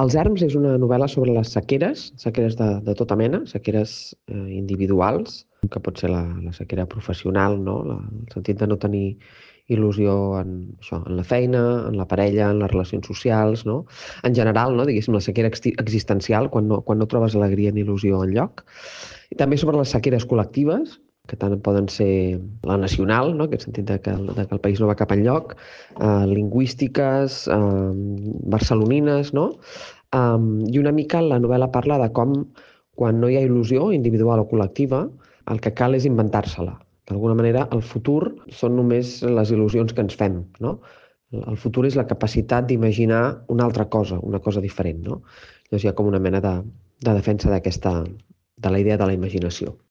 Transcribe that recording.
Els erms és una novel·la sobre les sequeres de tota mena, sequeres individuals, que pot ser la sequera professional, no? El sentit de no tenir il·lusió en la feina, en la parella, en les relacions socials, no? En general, no? Diguéssim, la sequera existencial, quan no trobes alegria ni il·lusió enlloc. I també sobre les sequeres col·lectives, que tant poden ser la nacional, no? En aquest sentit de que el país no va cap enlloc, lingüístiques, barcelonines, no? I una mica la novel·la parla de com, quan no hi ha il·lusió individual o col·lectiva, el que cal és inventar-se-la. D'alguna manera, el futur són només les il·lusions que ens fem, no? El futur és la capacitat d'imaginar una cosa diferent, no? Llavors hi ha com una mena de defensa de la idea de la imaginació.